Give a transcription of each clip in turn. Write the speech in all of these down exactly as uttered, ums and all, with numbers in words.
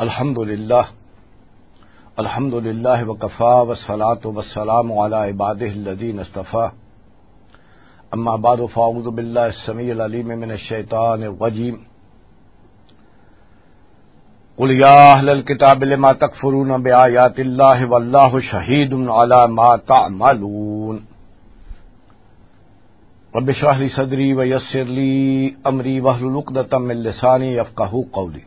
الحمد لله. الحمد لله وكفى، والصلاة والسلام على عباده الذين اصطفى. أما بعد، فأعوذ بالله السميع العليم من الشيطان الرجيم. قل يا أهل الكتاب لم تكفرون بآيات الله والله شهيد على ما تعملون. رب اشرح لي صدري ويسر لي أمري واحلل عقدة من لساني يفقهوا قولي.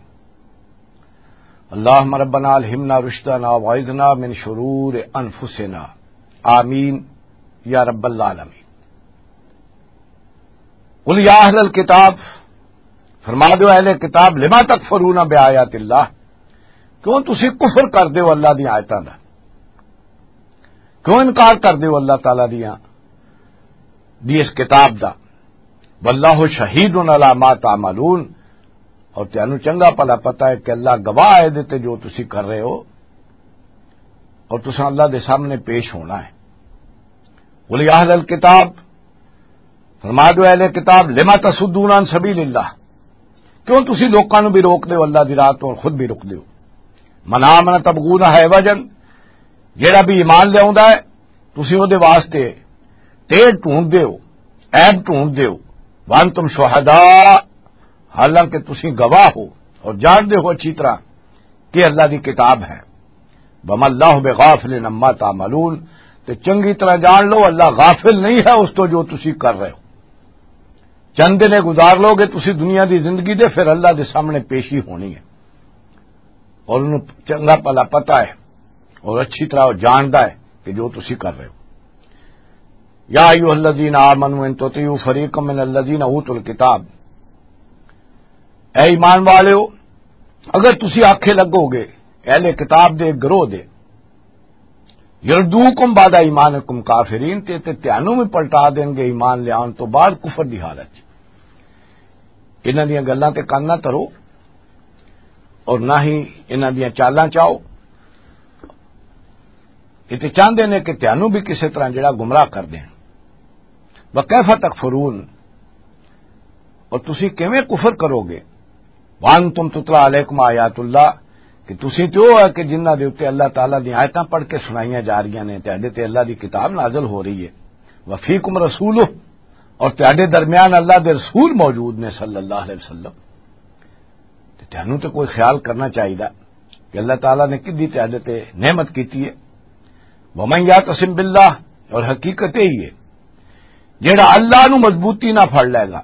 اللهم ربنا ألهمنا رشدنا وأعذنا من شرور أنفسنا. آمين يا رب العالمين. قل يا أهل الكتاب، فرما دو اہل کتاب، لما تکفرون بآیات اللہ، کیوں تسی کفر کر دیو اللہ دی آیتاں دا؟ کیوں انکار کر دیو اللہ تعالیٰ دیاں، دی اس کتاب دا؟ واللہ شہید علی ما تعملون، اور تانوں چنگا بھلا پتہ ہے کہ اللہ گواہ ہے دے تے جو تسی کر رہے ہو، اور تساں اللہ دے سامنے پیش ہونا ہے۔ قل یا اہل الکتاب، فرما دو اہل کتاب، لما تصدون عن سبیل اللہ، کیوں تسی لوکاں نوں بھی روک دیو اللہ دی راہ تو اور خود بھی رک دیو؟ من آمن تبغون عوجا، جیڑا بھی ایمان لے آوندا ہے، تسی او دے واسطے ٹیڑھ ڈھونڈ دیو، عیب ڈھونڈ دیو۔ وانتم شہداء، حالانکہ تسی گواہ ہو اور جان دے ہو اچھی طرح کہ اللہ دی کتاب ہے۔ وما اللہ بغافل عما تعملون، تے چنگی طرح جان لو اللہ غافل نہیں ہے اس تو جو تسی کر رہے ہو۔ چند دن گزار لو گے تسی دنیا دی زندگی دے، پھر اللہ دے سامنے پیشی ہونی ہے، اور انہوں چنگا بھلا پتہ ہے اور اچھی طرح وہ جاندا ہے کہ جو تسی کر رہے ہو۔ یا ایھا الذین آمنوا ان تطیعوا فریقا من الذین اوتوا الکتاب، اے ایمان والےو، اگر تسی آکھے لگو گے اہل کتاب دے گروہ دے، یردوکم بعد ایمانکم کافرین، تے تے تانوں بھی پلٹا دین گے ایمان لیان تو بعد کفر دی حالت چ۔ انہاں دیاں گلاں تے کان نہ دھرو اور نہ ہی انہاں دیاں چالاں چاؤ۔ یہ تے چاہندے نے کہ تانوں بھی کسے طرح جڑا گمراہ کر دین۔ وکیف تکفرون، اور تسی کیویں کفر کرو گے؟ وانتم تتلی علیکم آیات اللہ، کہ تسی تے او ہے کہ جنہاں دے اُتے اللہ تعالیٰ دی آیتاں پڑھ کے سنائیاں جا رہیاں نے، تہاڈے تے اللہ دی کتاب نازل ہو رہی ہے۔ وفیکم رسولہ، اور تہاڈے درمیان اللہ دے رسول موجود نے صلی اللہ علیہ وسلم۔ تے تانوں تے کوئی خیال کرنا چاہیدا کہ اللہ تعالیٰ نے کدی تہاڈے تے نعمت کیتی ہے۔ ومن یعتصم باللہ، اور حقیقت یہی ہے، جیڑا اللہ نو مضبوطی نہ پھڑ لے گا،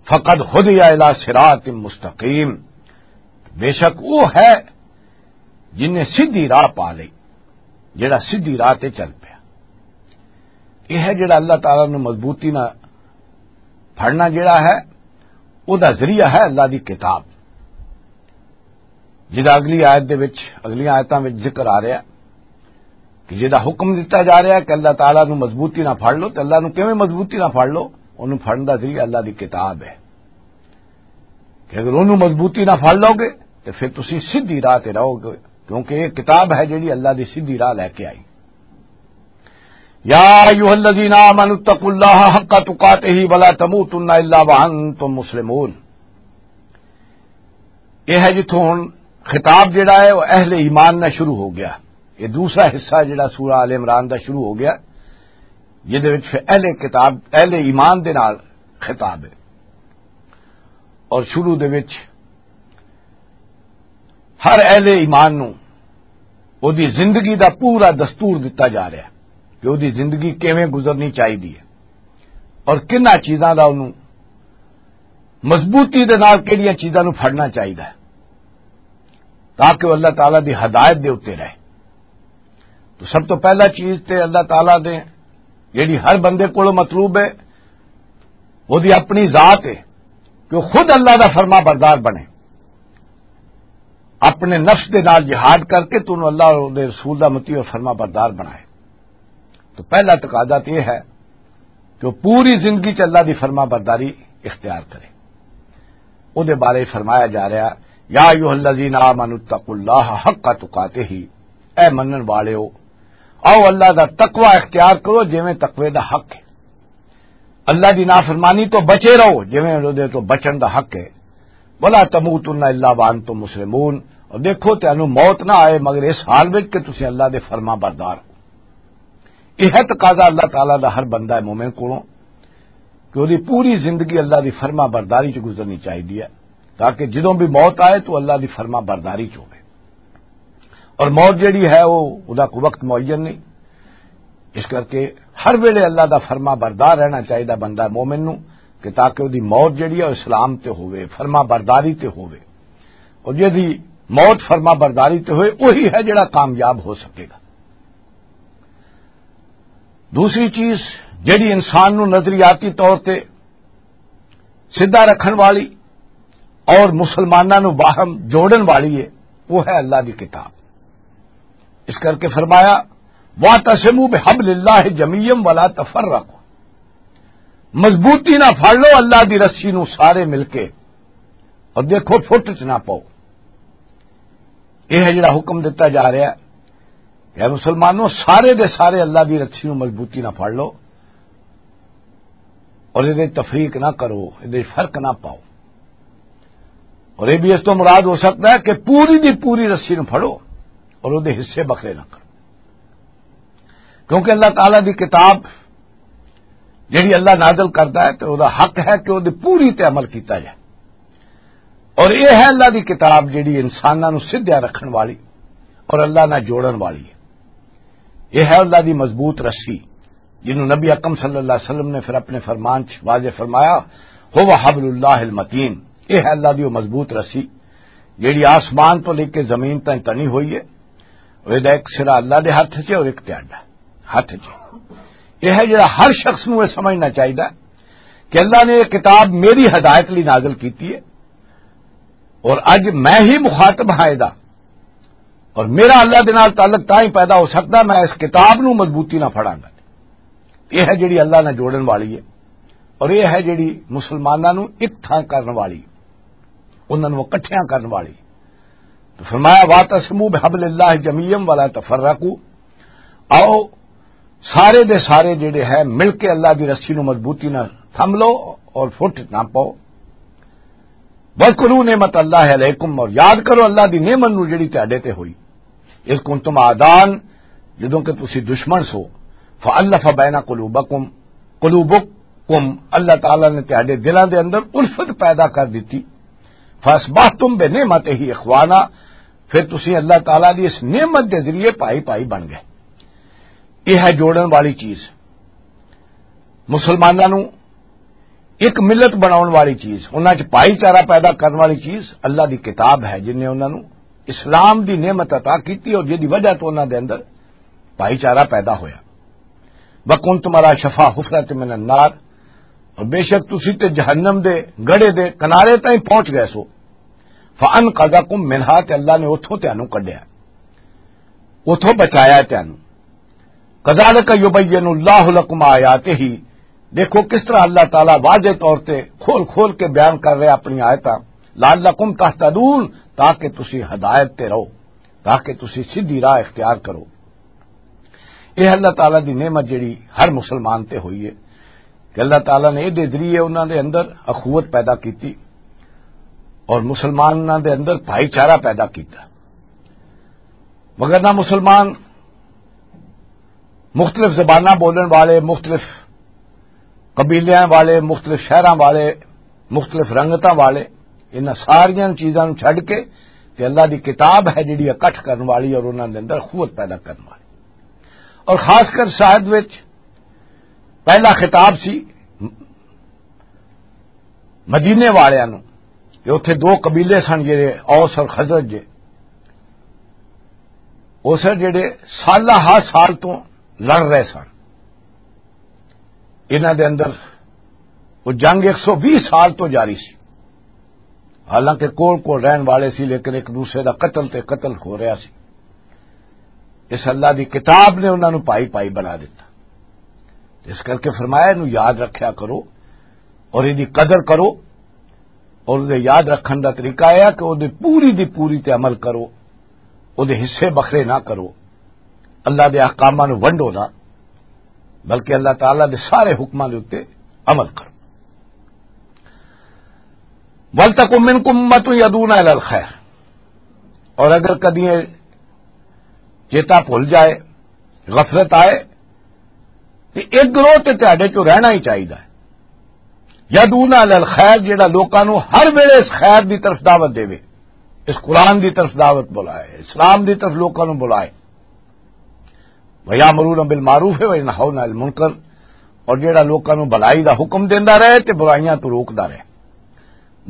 فقد ہدی الی صراط مستقیم، بے شک وہ ہے جن نے سیدھی راہ پا لئی، جڑا سیدھی راہ تے چل پیا۔ یہ ہے جڑا اللہ تعالیٰ نو مضبوطی نہ پھڑنا جڑا ہے، او دا ذریعہ ہے اللہ دی کتاب، جدا اگلی آیت دے وچ، اگلیاں آیتاں وچ ذکر آ رہا کہ جدا حکم دتا جا رہا کہ اللہ تعالیٰ نو مضبوطی نہ پھڑ لو، تے اللہ نو کیویں مضبوطی نہ پھڑ لو؟ انہوں پھڑن دا ذریعہ اللہ دی کتاب ہے۔ کہ اگر انہوں مضبوطی نہ پھڑ لو گے تو پھر تسی سیدھی راہ تے رہو گے، کیونکہ یہ کتاب ہے جڑی اللہ دی سیدھی راہ لے کے آئی۔ یا ایھا الذین آمنوا اتقوا اللہ حق تقاتہ ولا تموتن الا وانتم مسلمون۔ یہ ہے جتھوں ہن خطاب جڑا ہے وہ اہل ایمان نہ شروع ہو گیا۔ یہ دوسرا حصہ جڑا سورہ آل عمران دا شروع ہو گیا، جدے وچ پھر اہل کتاب، اہل ایمان دے نال خطاب ہے۔ اور شروع دے وچ ہر اہل ایمان نو او دی زندگی دا پورا دستور دتا جا رہا ہے کہ او دی زندگی کیویں گزرنی چاہیدی ہے اور کناں چیزاں دا انہوں مضبوطی دے نال کہڑیاں چیزاں نوں پھڑنا چاہیدا ہے تاکہ وہ اللہ تعالیٰ دی ہدایت دے اُتے رہے۔ تو سب تو پہلا چیز تے اللہ تعالیٰ دے جیڑی ہر بندے کولوں مطلوب ہے، وہ دی اپنی ذات ہے کہ وہ خود اللہ دا فرما بردار بنے، اپنے نفس دے نال جہاد کر کے تو انہوں اللہ اور دے رسول دا مطیع اور فرما بردار بنائے۔ تو پہلا تقاضا تو یہ ہے کہ وہ پوری زندگی چ اللہ دی فرما برداری اختیار کرے۔ او دے بارے فرمایا جا رہا، یا ایھا الذین آمنوا اتقوا اللہ حق تقاتہ، اے منن والے ہو، آؤ اللہ دا تقوی اختیار کرو جویں تقوی دا حق ہے۔ اللہ دی نافرمانی تو بچے رہو جویں اودے تو بچن دا حق ہے۔ ولا تموتن الا وانتم مسلمون، اور دیکھو تانوں موت نہ آئے مگر اس حال وچ کہ تسی اللہ دے فرما بردار ہو۔ یہ ہے تقاضا اللہ تعالیٰ دا ہر بندہ مومن کولوں، کہ وہ پوری زندگی اللہ دی فرما برداری چ گزرنی چاہیے، تاکہ جدوں بھی موت آئے تو اللہ دی فرما برداری چ ہوئے۔ اور موت جڑی ہے، وہ ادا کو وقت معین نہیں، اس کر کے ہر ویلے اللہ دا فرما بردار رہنا چاہیے بندہ مومن نو، کہ تاکہ وہ موت جڑی ہے، وہ اسلام تے ہوئے، فرما برداری تے ہوئے۔ اور جدی موت فرما برداری تے ہوئے، وہی ہے جڑا کامیاب ہو سکے گا۔ دوسری چیز، جڑی انسان نو نظریاتی طور تے سیدھا رکھن والی اور مسلماناں نو باہم جوڑن والی ہے، وہ ہے اللہ دی کتاب۔ اس کر کے فرمایا، "واعتصموا بحبل اللہ جمیعا ولا تفرقوا"، مضبوطی نہ پھڑ لو اللہ دی رسی نو سارے مل کے، اور دیکھو فٹ چ نہ پاؤ۔ یہ ہے جڑا حکم دتا جا رہا ہے کہ اے مسلمانوں، سارے دے سارے اللہ دی رسی نو مضبوطی نہ پھڑ لو، اور یہ تفریق نہ کرو، یہ فرق نہ پاؤ۔ اور یہ بھی اس تو مراد ہو سکتا ہے کہ پوری دی پوری رسی نو پھڑو اور وہ حصے بکھرے نہ کرو، کیونکہ اللہ تعالیٰ دی کتاب جڑی اللہ نازل کرتا ہے تو وہ حق ہے کہ وہ پوری تے عمل کیتا جائے۔ اور یہ ہے اللہ دی کتاب جڑی انساناں نو سدھیا رکھن والی اور اللہ نال جوڑن والی ہے۔ یہ ہے اللہ دی مضبوط رسی، جنوں نبی اکرم صلی اللہ علیہ وسلم نے پھر اپنے فرمان چ واضح فرمایا، "هو حبل اللہ المتین"، یہ ہے اللہ دی وہ مضبوط رسی جڑی آسمان تو لے کے زمین تائیں تنی ہوئی ہے۔ اور یہ ایک سرا اللہ دے ہاتھ چ اور ایک تہاڈا ہاتھ چ۔ یہ ہے جڑا ہر شخص نوں یہ سمجھنا چاہیے کہ اللہ نے یہ کتاب میری ہدایت لئی نازل کیتی ہے، اور اج میں ہی مخاطب ہاں یہ، اور میرا اللہ دے نال تعلق تاں ہی پیدا ہو سکتا، میں اس کتاب نوں مضبوطی نہ پھڑاں گا۔ یہ ہے جڑی اللہ نال جوڑن والی ہے، اور یہ ہے جڑی مسلماناں نوں ایک تھاں کرن والی، انہاں نوں اکٹھیاں کرن والی۔ تو فرمایا، "واعتصموا بحبل اللہ جمیعا ولا تفرقوا"، آؤ سارے دے سارے جڑے ہے مل کے اللہ دی رسی نو مضبوطی نال تھم لو اور فٹ نہ پاؤ۔ "واذکروا نعمت اللہ علیکم"، اور یاد کرو اللہ دی نعمت نو جڑی تہاڈے تے ہوئی۔ "اذ کنتم اعداء"، جدوں کہ تسی دشمن سو، "فالف بین قلوبکم"، قلوبکم، اللہ تعالیٰ نے تہاڈے دلاں دے اندر الفت پیدا کر دتی۔ "فاصبحتم بنعمتہ اخوانا"، پھر تسی اللہ تعالیٰ دی اس نعمت دے ذریعے بھائی بھائی بن گئے۔ یہ ہے جوڑن والی چیز، مسلماناں نوں ایک ملت بناؤن والی چیز، انہاں چ بھائی چارہ پیدا کرن والی چیز اللہ دی کتاب ہے، جن نے انہاں نوں اسلام دی نعمت عطا کیتی اور جدی وجہ تو انہاں دے اندر بھائی چارہ پیدا ہویا۔ "وکنتم علی شفا حفرۃ من النار"، اور بے شک تسی تے جہنم دے گڑھے دے کنارے تائیں پہنچ گئے سو۔ "فانقذکم منہا"، تے اللہ نے اتھوں تانوں کڈیا، اتھوں بچایا تانوں۔ "کذالک یبین اللہ لکم آیاتہ"، دیکھو کس طرح اللہ تعالیٰ واضح طور تے کھول کھول کے بیان کر رہے اپنی آیتاں۔ "لعلکم تہتدون"، تاکہ تسی ہدایت تے رہو، تاکہ تسی سیدھی راہ اختیار کرو۔ یہ اللہ تعالیٰ دی نعمت جڑی ہر مسلمان تے ہوئی ہے کہ اللہ تعالیٰ نے یہ ذریعے انہاں دے اندر اخوت پیدا کیتی اور مسلماناں دے اندر بھائی چارہ پیدا کیتا۔ مگر نہ مسلمان مختلف زباناں بولن والے، مختلف قبیلیاں والے، مختلف شہراں والے، مختلف رنگتاں والے، انہاں ساریاں چیزاں نوں چھڈ کے تے اللہ دی کتاب ہے جڑی اکٹھ کرن والی اور انہاں دے اندر قوت پیدا کرن والی۔ اور خاص کر شاید وچ پہلا خطاب سی مدینے والیاں نوں، کہ اتھے دو قبیلے سن جڑے اوس اور خزرج جے، اس جڑے سالہ ہر سال تو لڑ رہے سن۔ انہاں دے اندر وہ جنگ ایک سو ویہہ سال تو جاری سی، حالانکہ کول کول رہن والے سی، لیکن ایک دوسرے دا قتل تے قتل ہو رہا سی۔ اس اللہ دی کتاب نے انہاں نوں پائی پائی بنا دیتا۔ اس کر کے فرمایا، "انہوں یاد رکھیا کرو اور ایہدی قدر کرو۔" اور دے یاد رکھن دا طریقہ یہ ہے کہ وہ دے پوری دی پوری تے عمل کرو، وہ دے حصے بکھرے نہ کرو، اللہ دے احکاماں نوں ونڈو نہ، بلکہ اللہ تعالیٰ دے سارے حکماں دے اُتے عمل کرو۔ وَلْتَكُن مِّنْكُمْ أُمَّةٌ يَدْعُونَ إِلَى الْخَيْرِ، اور اگر کدی یہ چیتا بھول جائے، غفلت آئے، تو ایک گروہ تے تہاڈے چوں رہنا ہی چاہیدا ہے۔ یدعون الی الخیر، جڑا لوکاں نوں ہر ویلے اس خیر دی طرف دعوت دے، اس قرآن دی طرف دعوت بلائے، اسلام دی طرف لوکاں نوں بلائے۔ وَيَأْمُرُونَ بِالْمَعْرُوفِ وَيَنْهَوْنَ عَنِ الْمُنْكَرِ، اور جڑا لوکاں نوں بھلائی دا حکم دیندا رہے تے برائیاں تو روکدا رہے۔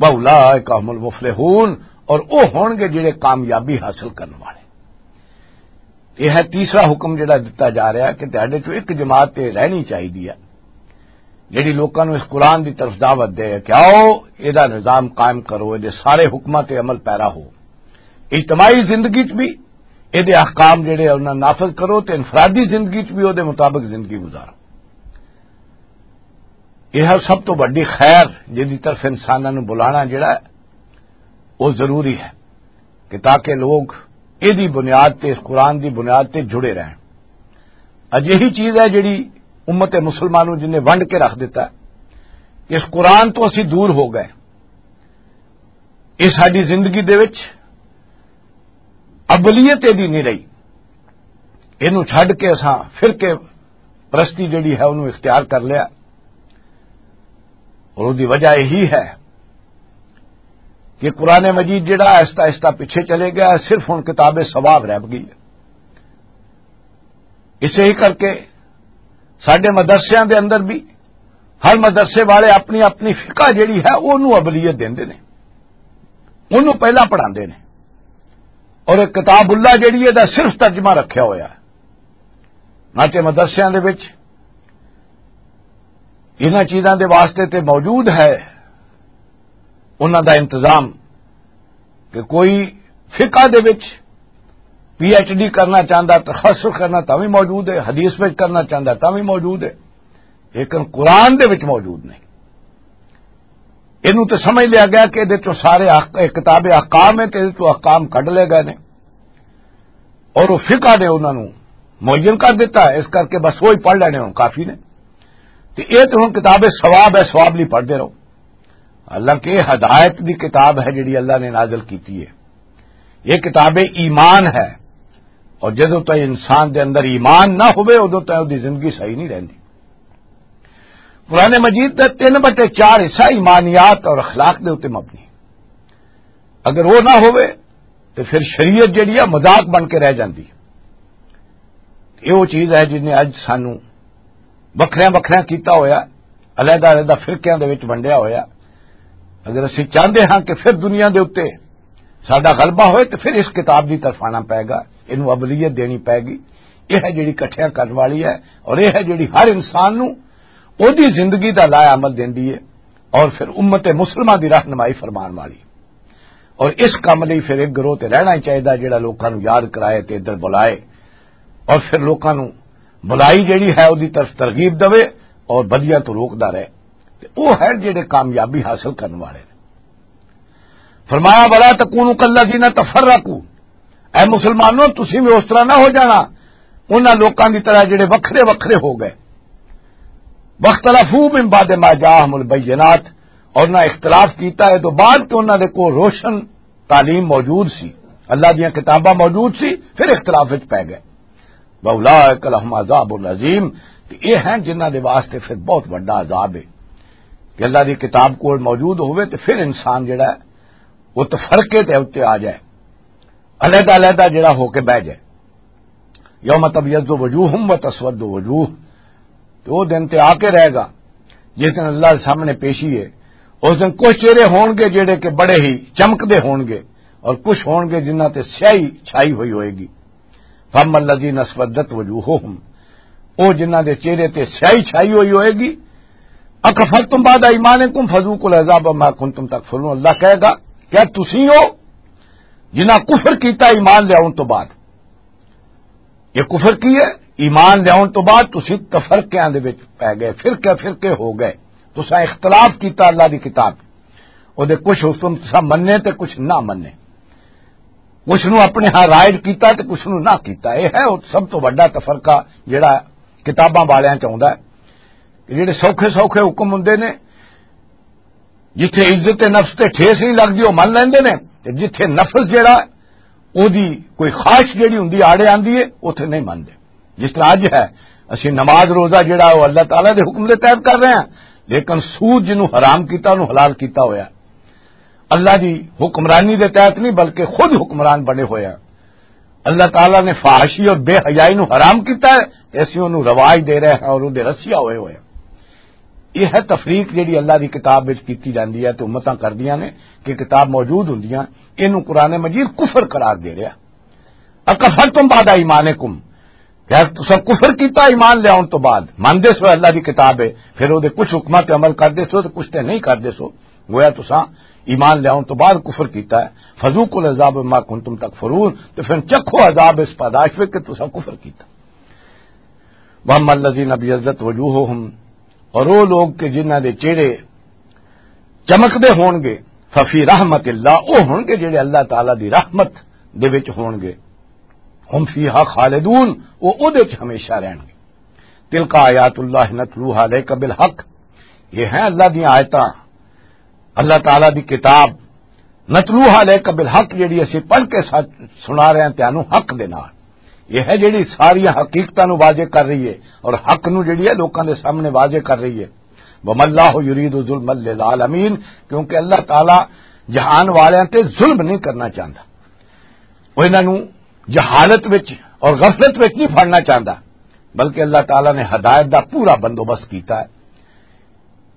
وَأُولَٰئِكَ هُمُ الْمُفْلِحُونَ، اور او ہون گے جڑے کامیابی حاصل کرن والے۔ یہ ہے تیسرا حکم جڑا دتا جا رہا ہے کہ تہاڈے چوں ایک جماعت تے رہنی چاہیدی ہے، جڑی لوکاں نوں اس قرآن دی طرف دعوت دے کہ آؤ، اے دا نظام قائم کرو، اے دے سارے حکماں تے عمل پیرا ہو، اجتماعی زندگی چ بھی، اے دے احکام جڑے انہاں نافذ کرو تے انفرادی زندگی چ بھی او دے مطابق زندگی گزارو۔ یہ ہے سب تو بڑی خیر، جس دی طرف انساناں نوں بلانا جڑا ہے، وہ ضروری ہے کہ تاکہ لوگ ایدی بنیاد تے، اس قرآن دی بنیاد تے جڑے رہن۔ اج یہی چیز ہے جڑی امت مسلمانوں جن نے ونڈ کے رکھ دیتا ہے کہ اس قرآن تو اسی دور ہو گئے۔ یہ ساری زندگی دے وچ ابلیت ایدی نہیں رہی۔ اینوں چھڈ کے اساں فرقے پرستی جڑی ہے، انہوں اختیار کر لیا۔ اور اس دی وجہ یہی ہے کہ قرآن مجید جڑا آہستہ آہستہ پیچھے چلے گیا، صرف ہن کتاب ثواب رہ گئی ہے۔ اسے ہی کر کے ساڈے مدرسیاں دے اندر بھی ہر مدرسے والے اپنی اپنی فقہ جڑی ہے، انہوں ابلیت دیندے نے، انہوں پہلا پڑھاندے نے۔ اور ایک کتاب اللہ جڑی ہے، دا صرف ترجمہ رکھیا ہویا ہے۔ نہ تے مدرسیاں دے وچ انہاں چیزاں دے واسطے تے موجود ہے انہاں دا انتظام کہ کوئی فقہ دے وچ پی ایچ ڈی کرنا چاہندا، تخصص کرنا، تاں وی موجود ہے، حدیث وچ کرنا چاہندا، تاں وی موجود ہے، لیکن قرآن دے وچ موجود نہیں۔ اینوں تے سمجھ لیا گیا کہ ادھر چوں سارے احک-، کتاب احکام ہے تے ادھر چوں احکام کڈ لے گئے نے۔ اور وہ فقہ نے انہاں نوں معین کر دیتا ہے، اس کر کے بس وہی پڑھ لینے ہوں کافی نے۔ تے اے تے ہن کتاب ثواب ہے، ثواب نہیں پڑھدے رہو۔ حالانکہ یہ ہدایت دی کتاب ہے جڑی اللہ نے نازل کیتی ہے، یہ کتاب ایمان ہے۔ اور جدوں تک انسان دے اندر ایمان نہ ہوئے، ادوں تک اس دی زندگی صحیح نہیں رہندی۔ قرآن مجید دا تین بٹے چار حصہ ایمانیات اور اخلاق دے اُتے مبنی۔ اگر وہ نہ ہوئے تو پھر شریعت جڑی ہے مذاق بن کے رہ جاندی۔ یہ وہ چیز ہے جس نے اج سانو وکھریاں وکھریاں کیتا ہویا، علیحدہ علیحدہ فرقیاں دے وچ ونڈیا ہویا۔ اگر اسی چاہندے ہاں کہ پھر دنیا دے اُتے ساڈا غلبہ ہوئے تو پھر اس کتاب دی طرف آنا پائے گا، اینوں ابلیت دینی پائے گی۔ یہ ہے جڑی کٹھیاں کرن والی ہے، اور یہ ہے جڑی ہر انسان نوں اودی زندگی دا لائحہ عمل دیندی ہے، اور پھر امت مسلمہ دی رہنمائی فرمان والی۔ اور اس کم لئی پھر ایک گروہ تے رہنا ہی چاہیدا جڑا لوکاں نوں یاد کرائے تے ادھر بلائے، اور پھر لوکاں نوں بلائی جڑی ہے اودی طرف ترغیب دے اور بدیاں تو روکدا رہے۔ تے او ہے جڑے کامیابی حاصل کرن والے نے۔ فرمایا، "ولا تکونوا کالذین تفرقوا"، اے مسلمانوں، تسی بھی اس طرح نہ ہو جانا، انہاں لوکاں دی طرح جڑے وکھرے وکھرے ہو گئے۔ "واختلفوا من بعد ما جاءهم البینات"، اور نہ اختلاف کیتا ہے تو بعد کہ انہاں دے کو روشن تعلیم موجود سی، اللہ دیاں کتاباں موجود سی، پھر اختلاف وچ پے گئے۔ "وَأُولَٰئِكَ لَهُمْ عَذَابٌ عَظِيمٌ"، تے یہ ہیں جنہاں دے واسطے پھر بہت بڑا عذاب ہے کہ اللہ دی کتاب کول موجود ہوئے تے پھر انسان جڑا ہے وہ تفرقے تے اُتے آ جائے، علیحدہ علیحدہ جڑا ہو کے بہ جائے۔ "یوم تبیض وجوہ و تسود وجوہ"، تے وہ دن تے آ کے رہے گا جس دن اللہ دے سامنے پیشی ہے۔ اس دن کچھ چہرے ہون گے جڑے کہ بڑے ہی چمکدے ہون گے، اور کچھ ہون گے جنہاں تے سیاہی چھائی ہوئی ہوئے گی۔ "فَأَمَّا الَّذِينَ اسْوَدَّتْ وُجُوهُهُمْ"، او جنہاں دے چہرے تے سیاہی چھائی ہوئی ہوئے گی۔ "أَكَفَرْتُمْ بَعْدَ إِيمَانِكُمْ فَذُوقُوا الْعَذَابَ بِمَا كُنْتُمْ تَكْفُرُونَ"، اللہ کہے گا، "کیا تسی ہو جنہاں کفر کیتا ایمان لیاون تو بعد؟" یہ کفر کی ہے؟ ایمان لیاون تو بعد تسی تفرقیاں دے وچ پے گئے، فرقے فرقے ہو گئے، تساں اختلاف کیتا اللہ دی کتاب، او دے کچھ حکم تساں مننے تے کچھ نہ مننے، کچھ نو اپنے ہاں رائج کیتا تے کچھ نو نہ کیتا۔ یہ ہے او سب تو بڑا تفرقہ جڑا کتاباں والیاں چ آوندا ہے کہ جڑے سوکھے سوکھے حکم ہوندے نے، جتھے عزت نفس تے ٹھیس نہیں لگدی، او من لیندے نے، تے جتھے نفس جڑا، او دی کوئی خواہش جڑی ہوندی، آڑے آندی ہے، اوتھے نہیں مندے۔ جس طرح اج ہے، اسی نماز روزہ جڑا، او اللہ تعالیٰ دے حکم دے تحت کر رہے ہیں، لیکن سود جنوں حرام کیتا، اونوں حلال کیتا ہویا۔ اللہ دی حکمرانی دے تحت نہیں، بلکہ خود حکمران بنے ہوئے ہیں۔ اللہ تعالیٰ نے فحاشی اور بے حیائی نو حرام کیتا ہے، تے اسی اونوں رواج دے رہے ہیں اور اودے رسیا ہوئے ہوئے ہیں۔ یہ ہے تفریق جڑی اللہ دی کتاب وچ کیتی جاندی ہے تے امتاں کردیاں نے کہ کتاب موجود ہوندیاں، اینوں قرآن مجید کفر قرار دے رہا۔ اکفرتم بعد ایمانکم، کیا تساں کفر کیتا ایمان لے آن تو بعد؟ مندے سو اللہ دی کتاب ہے، پھر اودے کچھ حکماں تے عمل کردے سو تے کچھ تے نہیں کردے سو، گویا تساں ایمان لے آن تو بعد کفر کیتا ہے۔ فذوقوا العذاب بما کنتم تکفرون، تے پھر چکھو عذاب اس پاداش وچ کہ تساں کفر کیتا۔ واما الذین ابیضت وجوہہم، اور وہ لوگ کہ جنہاں دے چہرے چمکدے ہون گے، ففی رحمت اللہ، وہ ہون گے جڑے اللہ تعالیٰ دی رحمت دے وچ ہون گے، ہم فیہا خالدون، وہ اودے وچ ہمیشہ رہن گے۔ تلک آیات اللہ نتلوہا علیک بالحق، یہ ہیں اللہ دی آیتاں، اللہ تعالیٰ دی کتاب، نتلوہا علیک بالحق، جڑی اسی پڑھ کے سچ سنا رہے ہیں تانوں حق دے نال۔ یہ ہے جڑی ساری حقیقتاں نو واضح کر رہی ہے اور حق نو جڑی ہے لوکاں دے سامنے واضح کر رہی ہے۔ وما اللہ یرید ظلما للعالمین، کیونکہ اللہ تعالیٰ جہان والیاں تے ظلم نہیں کرنا چاہتا۔ وہ انہاں نو جہالت وچ اور غفلت وچ نہیں پھڑنا چاہتا، بلکہ اللہ تعالیٰ نے ہدایت دا پورا بندوبست کیتا ہے۔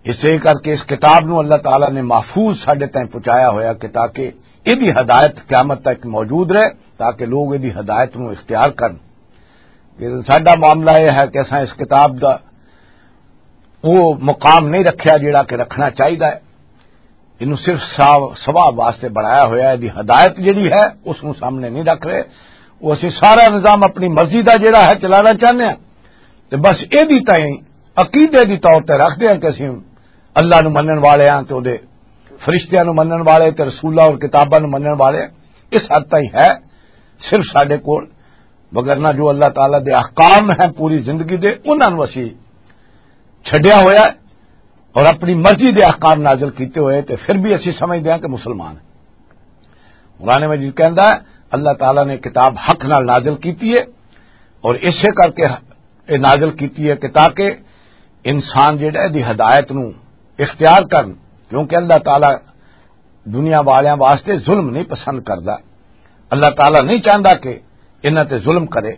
اسے کر کے اس کتاب نو اللہ تعالیٰ نے محفوظ ساڈے تائیں پہنچایا ہویا کہ تاکہ ایدی ہدایت قیامت تک موجود رہے، تاکہ لوگ ایدی ہدایت نو اختیار کرن۔ لیکن ساڈا معاملہ یہ ہے کہ اساں اس کتاب دا وہ مقام نہیں رکھیا جڑا کہ رکھنا چاہیدا ہے۔ اینوں صرف سا-، ثواب واسطے بنایا ہویا ہے، دی ہدایت جڑی ہے اس نوں سامنے نہیں رکھ رہے۔ وہ اسی سارا نظام اپنی مرضی دا جڑا ہے چلانا چاہنے ہیں، تے بس ایدی تائیں عقیدے دی طور تے رکھدے ہیں کہ اسی اللہ نوں منن والے ہیں تے اودے فرشتیاں نوں منن والے تے رسولاں اور کتاباں نوں منن والے ہیں۔ اس حد تائیں ہے صرف ساڈے کول، وگرنہ جو اللہ تعالیٰ دے احکام ہیں پوری زندگی دے، انہاں نوں اسی چھڈیا ہویا ہے اور اپنی مرضی دے احکام نازل کیتے ہوئے تے پھر بھی اسی سمجھدے ہیں کہ مسلمان ہیں۔ قرآن مجید کہندا ہے، اللہ تعالیٰ نے کتاب حق نال نازل کیتی ہے اور اسے کر کے یہ نازل کیتی ہے کہ تاکہ انسان جڑا ہے دی ہدایت نو اختیار کرن، کیونکہ اللہ تعالیٰ دنیا والیاں واسطے ظلم نہیں پسند کردا۔ اللہ تعالیٰ نہیں چاہندا کہ انہاں تے ظلم کرے۔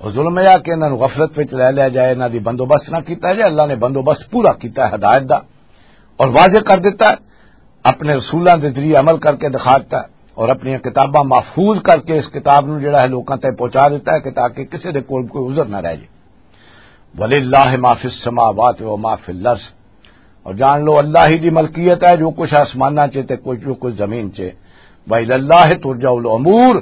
اور ظلم یہ کہ انہاں نوں غفلت وچ لے لیا جائے، انہاں دی بندوبست نہ کیتا جائے۔ اللہ نے بندوبست پورا کیتا ہے ہدایت دا اور واضح کر دیتا ہے، اپنے رسولاں دے ذریعے عمل کر کے دکھا دیتا ہے اور اپنی کتاباں محفوظ کر کے اس کتاب نوں جڑا ہے لوکاں تک پہنچا دیتا ہے کہ تاکہ کسی دے کول کوئی عذر نہ رہ جائے۔ وللہ ما فی السماوات و ما فی الارض، اور جان لو اللہ ہی دی ملکیت ہے جو کچھ آسماناں چ تے کچھ جو کچھ زمین چ۔ وإلی اللہ ترجع الامور،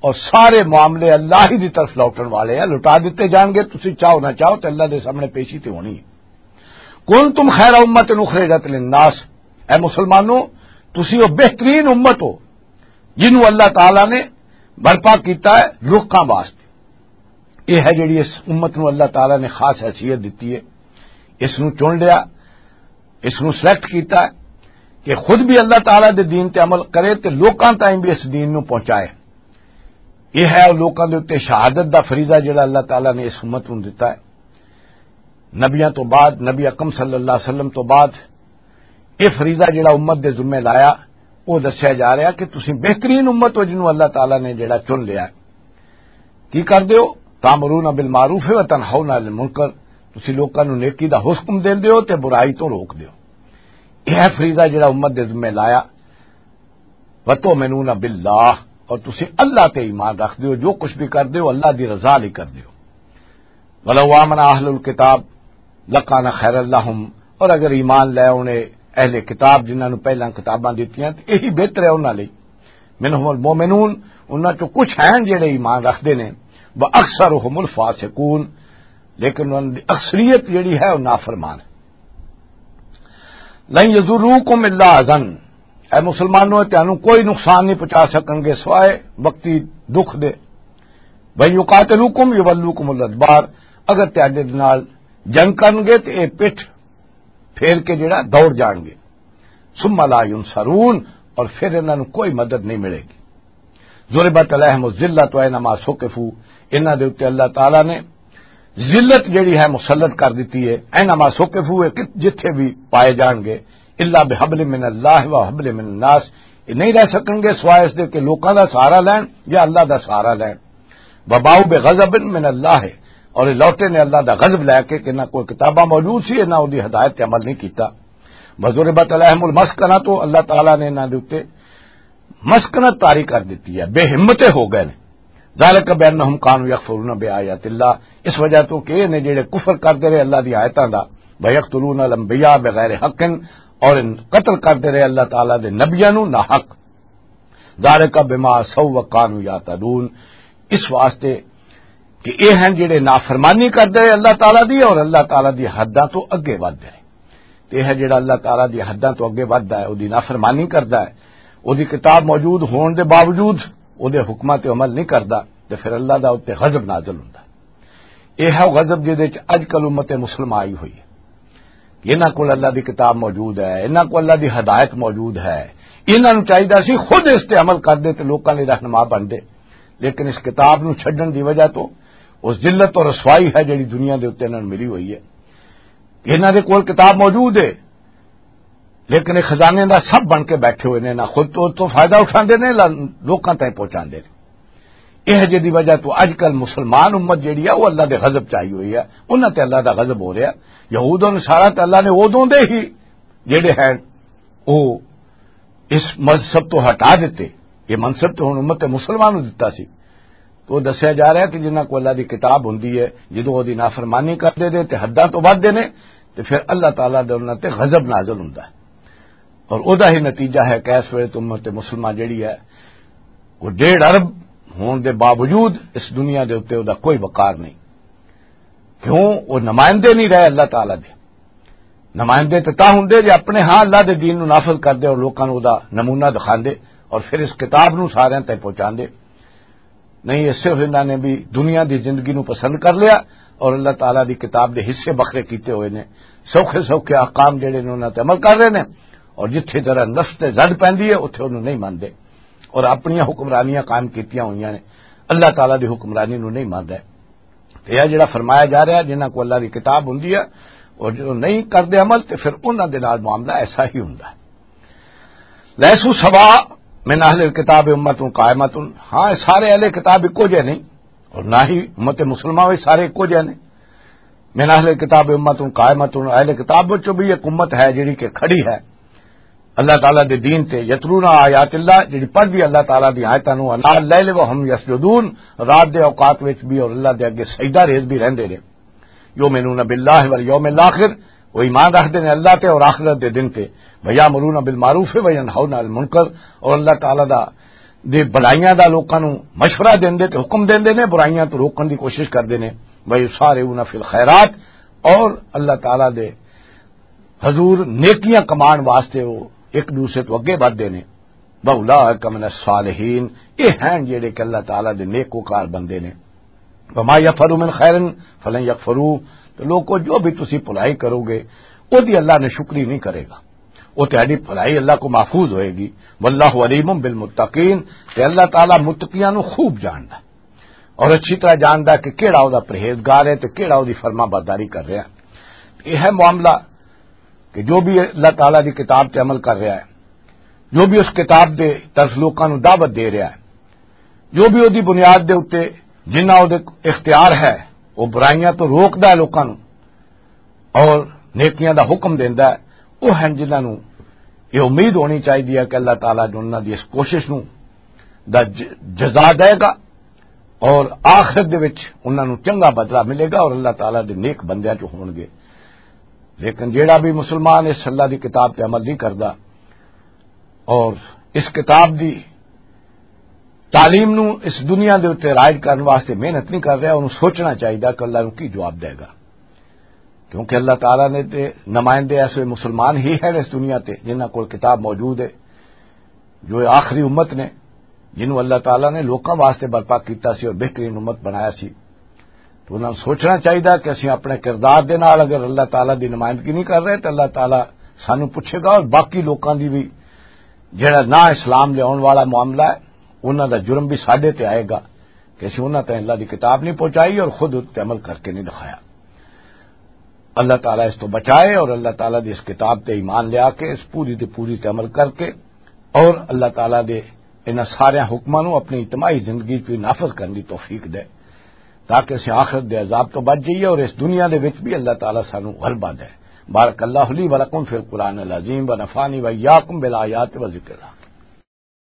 اور سارے معاملے اللہ ہی دی طرف لوٹن والے ہیں، لٹا دیتے جان گے، تسی چاہو نہ چاہو تے اللہ دے سامنے پیشی تے ہونی ہے۔ کنتم خیر امۃ اخرجت للناس، اے مسلمانوں، تسی وہ بہترین امت ہو جنوں اللہ تعالیٰ نے برپا کیتا ہے لوکاں واسطے۔ یہ ہے جڑی اس امت نو اللہ تعالیٰ نے خاص حیثیت دیتی ہے، اس نو چن لیا، اس نو سلیکٹ کیتا ہے کہ خود بھی اللہ تعالیٰ دے دین تے عمل کرے تے لوکاں تائیں بھی اس دین نو پہنچائے۔ یہ ہے لوکاں دے اُتے شہادت دا فریضہ جڑا اللہ تعالیٰ نے اس امت نو دیتا ہے۔ نبیاں تو بعد، نبی اکرم صلی اللہ علیہ وسلم تو بعد یہ فریضہ جڑا امت دے ذمے لایا، وہ دسیا جا رہا کہ تسی بہترین امت ہو جنوں اللہ تعالیٰ نے جڑا چن لیا۔ کی کر دیو؟ تامرون بالمعروف و تنہون عن المنکر، تسی لوکاں نوں نیکی دا حکم دین دیو تے برائی تو روک دیو۔ یہ ہے فریضہ جڑا امت دے ذمے لایا۔ وتؤمنون باللہ، اور تسی اللہ تے ایمان رکھ دیو، جو کچھ بھی کر دیو اللہ دی رضا لئی کر دیو۔ ولو آمن اہل الکتاب لکان خیر لہم، اور اگر ایمان لے انہیں اہل کتاب جنہاں نوں پہلاں کتاباں دتیاں تے یہی بہتر ہے انہاں لئی۔ منہم المؤمنون، انہاں چوں کچھ ہیں جڑے ایمان رکھدے نے، واکثرہم الفاسقون، لیکن انہاں دی اکثریت جڑی ہے وہ نافرمان ہے۔ لن یضروکم الا اذن، اے مسلمانوں، تانوں کوئی نقصان نہیں پہنچا سکن گے سوائے وقتی دکھ دے۔ وَإِن يُقَاتِلُوكُمْ يُوَلُّوكُمُ الْأَدْبَارَ، اگر تہاڈے نال جنگ کرن گے تے اے پٹھ پھیر کے جڑا دوڑ جان گے۔ ثم لا ينصرون، اور پھر انہاں نوں کوئی مدد نہیں ملے گی۔ ضربت علیہم الذلۃ اینما ثقفوا، انہاں دے اُتے اللہ تعالیٰ نے ذلت جڑی ہے مسلط کر دتی ہے، اینما ثقفوا، کہ جتھے بھی پائے جان گے، الا بحبل من اللہ و حبل من الناس، یہ نہیں رہ سکن گے سوائے اس دے کہ لوکاں دا سہارا لین یا اللہ دا سہارا لین۔ وباؤ بغضب من اللہ، اور یہ لوٹے نے اللہ دا غضب لے کے کہ نہ کوئی کتاباں موجود سی، نہ اودی ہدایت تے عمل نہیں کیتا۔ وضربت علیہم المسکنہ، تو اللہ تعالیٰ نے انہاں دے اُتے مسکنت طاری کر دتی ہے، بے ہمت ہو گئے نے۔ ذالک بانہم کانوا یکفرون بآیات اللہ، اس وجہ تو کہ یہ نے جڑے کفر کرتے رہے اللہ دی آیتاں دا، ویقتلون الانبیاء بغیر حق، اور ان قتل کرتے رہے اللہ تعالیٰ دے نبیاں نو ناحق۔ ذالک بما عصوا وکانوا یعتدون، اس واسطے کہ یہ ہیں جڑے نافرمانی کرتے رہے اللہ تعالیٰ دی اور اللہ تعالیٰ دی حداں تو اگے ودھدے رہے۔ تے یہ جڑا اللہ تعالیٰ دی حداں تو اگے ودھدا ہے، اودی نافرمانی کردا ہے، اودی کتاب موجود ہون دے باوجود اودے حکماں تے عمل نہیں کردا، تے پھر اللہ دا اُتے غضب نازل ہوندا۔ یہ ہے غضب جس دے وچ اج کل امت مسلمہ آئی ہوئی ہے۔ انہاں کول اللہ دی کتاب موجود ہے، انہاں کول اللہ دی ہدایت موجود ہے، انہاں نوں چاہیدا سی خود اس تے عمل کر دے تے لوکاں لئی رہنما بن دے، لیکن اس کتاب نوں چھڈن دی وجہ تو اس ذلت اور رسوائی ہے جڑی دنیا دے اُتے انہاں نوں ملی ہوئی ہے۔ انہاں دے کول کتاب موجود ہے، لیکن یہ خزانے دا سب بن کے بیٹھے ہوئے نے، نہ خود تو، تو فائدہ اٹھاندے نے، نہ لوکاں تائیں پہنچاندے نے۔ یہ جدی وجہ تو اج کل مسلمان امت جڑی ہے، وہ اللہ دے غضب چاہی ہوئی ہے، انہاں تے اللہ دا غضب ہو رہا۔ یہود و نصارہ تے اللہ نے ادوں دے ہی جڑے ہیں، وہ اس مذہب تو ہٹا دیتے۔ یہ منصب تو ہن امت مسلمان نوں دتا سی۔ تو دسیا جا رہا ہے کہ جنہاں کو اللہ دی کتاب ہوندی ہے، جدوں وہ دی نافرمانی کردے نے تے حداں تو ودھدے نے، تے پھر اللہ تعالیٰ دے انہاں تے غضب نازل ہوندا ہے۔ اور او دا ہی نتیجہ ہے کہ اس ویلے تو امت مسلمہ جڑی ہے، وہ ڈیڑھ ارب ہون دے باوجود اس دنیا دے اُتے او دا کوئی وقار نہیں۔ کیوں؟ وہ نمائندے نہیں رہے اللہ تعالیٰ دے۔ نمائندے تے تاں ہوندے جے اپنے ہاں اللہ دے دین نوں نافذ کردے اور لوکاں نوں او دا نمونہ دکھاندے اور پھر اس کتاب نوں ساریاں تائیں پہنچاندے۔ نہیں، یہ صرف انہاں نے بھی دنیا دی زندگی نوں پسند کر لیا اور اللہ تعالیٰ دی کتاب دے حصے بکھرے کیتے ہوئے نے۔ سوکھے سوکھے احکام جڑے نے انہاں تے عمل کر رہے نے، اور جتھے ذرا نفس تے زد پیندی ہے، اتھے انہوں نہیں مانتے اور اپنیاں حکمرانیاں قائم کیتیاں ہوئیاں نے، اللہ تعالیٰ دی حکمرانی نوں نہیں مانتے۔ تے یہ جڑا فرمایا جا رہا ہے، جنہاں کو اللہ دی کتاب ہوندی ہے اور جو نہیں کردے عمل، تے پھر انہاں دے نال معاملہ ایسا ہی ہوندا ہے۔ لیسو سوا من اہل الکتاب امت قائمت۔ ہاں، سارے اہل کتاب اکو جے نہیں، اور نہ ہی امت مسلمہ وچ سارے اکو جے نے۔ من اہل کتاب امت قائمت، اہل کتاب وچوں بھی ایک امت ہے جڑی کہ کھڑی ہے۔ اللہ تعالیٰ دے دین تے، یتلون آیات اللہ، جڑی پڑھ دی اللہ تعالیٰ دی آیتاں نوں، انال لیل و ہم یسجدون، رات دے اوقات وچ بھی اور اللہ دے اگے سجدہ ریز بھی رہندے نے۔ یؤمنون باللہ والیوم الاخر، وہ ایمان رکھدے نے اللہ تے اور آخرت دے دن تے۔ ویامرون بالمعروف وینہون عن المنکر، اور اللہ تعالیٰ دا، دی بھلائیاں دا لوکاں نوں مشورہ دیندے تے حکم دیندے نے، برائیاں تو روکن دی کوشش کردے نے۔ ویسارعون فی الخیرات، اور اللہ تعالیٰ دے حضور نیکیاں کمان واسطے وہ ایک دوسرے تو اگے ودھدے نے۔ واولئک من الصالحین، یہ ہیں جڑے کہ اللہ تعالیٰ دے نیکوکار بندے نے۔ وما یفعلوا من خیر فلن یکفروہ، تو لوگو، جو بھی تسی بھلائی کرو گے، وہ دی اللہ نے شکری نہیں کرے گا، وہ تہاڈی بھلائی اللہ کو محفوظ ہوئے گی۔ واللہ علیم بالمتقین، تے اللہ تعالیٰ متقیاں نو خوب جاندا اور اچھی طرح جاندا کہ کیڑا او دا پرہیزگار ہے تے کیڑا او دی فرما برداری کر رہا ہے۔ یہ ہے معاملہ کہ جو بھی اللہ تعالیٰ دی کتاب تے عمل کر رہا ہے، جو بھی اس کتاب دے طرف لوکاں نو دعوت دے رہا ہے، جو بھی او دی بنیاد دے اُتے جنہ او دے اختیار ہے، وہ برائیاں تو روکدا ہے لوکاں نو اور نیکیاں دا حکم دیندا ہے، وہ ہیں جنہاں نو یہ امید ہونی چاہیے کہ اللہ تعالیٰ جو انہاں دی اس کوشش نو دا ج-، جزا دے گا اور آخرت دے وچ انہاں نو چنگا بدلہ ملے گا اور اللہ تعالیٰ دے نیک بندیاں چوں ہون گے۔ لیکن جیڑا بھی مسلمان اس اللہ دی کتاب تے عمل نہیں کردا اور اس کتاب دی تعلیم نو اس دنیا دے اُتے رائج کرن واسطے محنت نہیں کر رہا، انہوں سوچنا چاہیے کہ اللہ نو کی جواب دے گا۔ کیونکہ اللہ تعالیٰ نے تے نمائندے ایسے مسلمان ہی ہیں اس دنیا تے جنہاں کول کتاب موجود ہے، جو آخری امت نے، جنہوں اللہ تعالیٰ نے لوکاں واسطے برپا کیتا سی اور بہترین امت بنایا سی۔ تو انہاں نوں سوچنا چاہیدا کہ اسیں اپنے کردار دے نال اگر اللہ تعالیٰ دی نمائندگی نہیں کر رہے تو اللہ تعالیٰ سانو پوچھے گا، اور باقی لوکاں دی بھی، جڑا نہ اسلام لے آن والا معاملہ ہے، انہاں دا جرم بھی ساڈے تے آئے گا کہ اسی انہاں تے اللہ دی کتاب نہیں پہنچائی اور خود اس تے عمل کر کے نہیں دکھایا۔ اللہ تعالیٰ اس تو بچائے اور اللہ تعالیٰ دی اس کتاب تے ایمان لیا کے اس پوری دی پوری تے عمل کر کے اور اللہ تعالیٰ دے انہاں سارے حکماں نوں اپنی اجتماعی زندگی وچ نافذ کرن دی توفیق دے، تاکہ اسیں آخرت دے عذاب تو بچ جائیے اور اس دنیا دے وچ بھی اللہ تعالیٰ سانوں غلبہ دے۔ بارک اللہ لی ولکم فی القرآن العظیم و نفعنی و ایاکم بالآیات و ذکر الحکیم۔